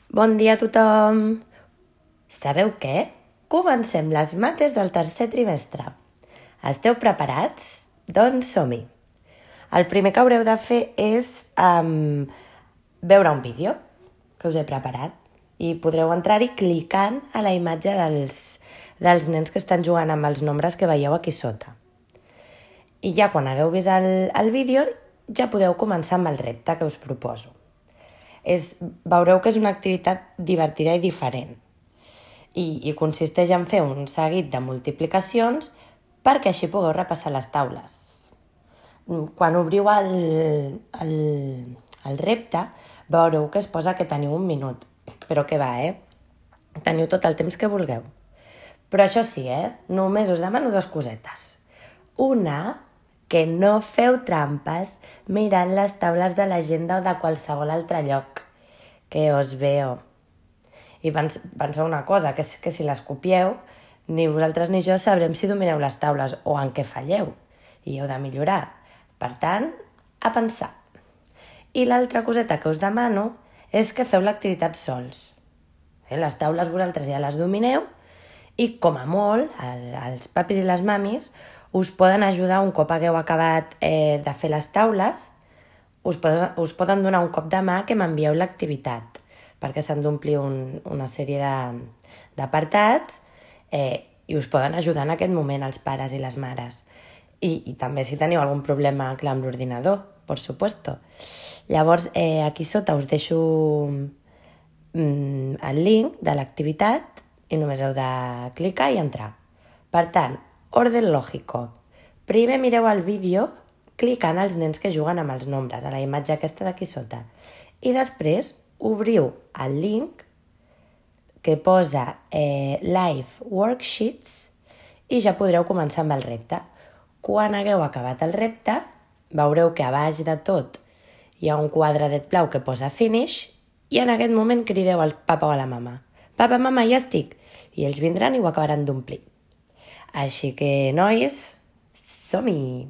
Bon dia a tothom! Sabeu què? Comencem les mates del tercer trimestre. Esteu preparats? Doncs som-hi! El primer que haureu de fer és veure un vídeo que us he preparat i podreu entrar-hi clicant a la imatge dels nens que estan jugant amb els nombres que veieu aquí sota. I ja quan hagueu vist el vídeo ja podeu començar amb el repte que us proposo. Veureu que és una activitat divertida i diferent i consisteix en fer un seguit de multiplicacions perquè així pugueu repassar les taules. Quan obriu el repte veureu que es posa que teniu 1 minut, però què va, Teniu tot el temps que vulgueu. Però això sí, només us demano 2 cosetes. Una, que no feu trampes mirant les taules de l'agenda o de qualsevol altre lloc, que os veo. I penseu una cosa, que si les copieu, ni vosaltres ni jo sabrem si domineu les taules o en què falleu, i heu de millorar. Per tant, a pensar. I l'altra coseta que us demano és que feu l'activitat sols. Les taules vosaltres ja les domineu i, com a molt, els papis i les mamis us poden ajudar un cop hagueu acabat de fer les taules, us poden donar un cop de mà que m'envieu l'activitat, perquè s'han d'omplir una sèrie d'apartats i us poden ajudar en aquest moment els pares i les mares. I també si teniu algun problema clar amb l'ordinador, por supuesto. Llavors, aquí sota us deixo el link de l'activitat i només heu de clicar i entrar. Per tant, orden lògico. Primer mireu el vídeo clicant als nens que juguen amb els nombres, a la imatge aquesta d'aquí sota. I després obriu el link que posa Live Worksheets i ja podreu començar amb el repte. Quan hagueu acabat el repte, veureu que a baix de tot hi ha un quadradet blau que posa Finish i en aquest moment crideu al papa o a la mama. Papa, mama, ja estic! I ells vindran i ho acabaran d'omplir. Així que, nois, som-hi!